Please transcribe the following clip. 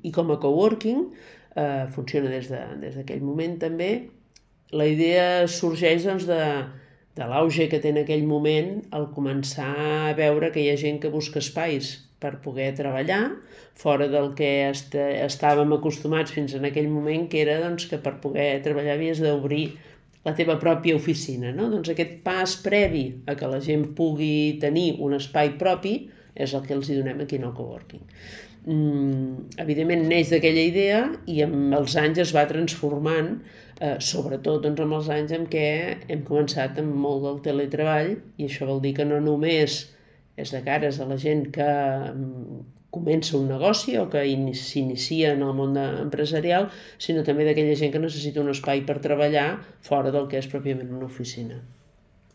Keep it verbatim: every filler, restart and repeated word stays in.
I com a coworking, eh, funciona des de, des d'aquell moment també. La idea sorgeix doncs, de, de l'auge que té en aquell moment el començar a veure que hi ha gent que busca espais per poder treballar fora del que est estàvem acostumats fins en aquell moment, que era doncs, que per poder treballar havies d'obrir la teva pròpia oficina. No? Doncs aquest pas previ a que la gent pugui tenir un espai propi és el que els hi donem aquí en el coworking. Mm, evidentment neix d'aquella idea i amb els anys es va transformant, eh, sobretot doncs, amb els anys en què hem començat amb molt del teletreball, i això vol dir que no només és de cares a la gent que comença un negoci o que s'inicia en el món empresarial, sinó també d'aquella gent que necessita un espai per treballar fora del que és pròpiament una oficina.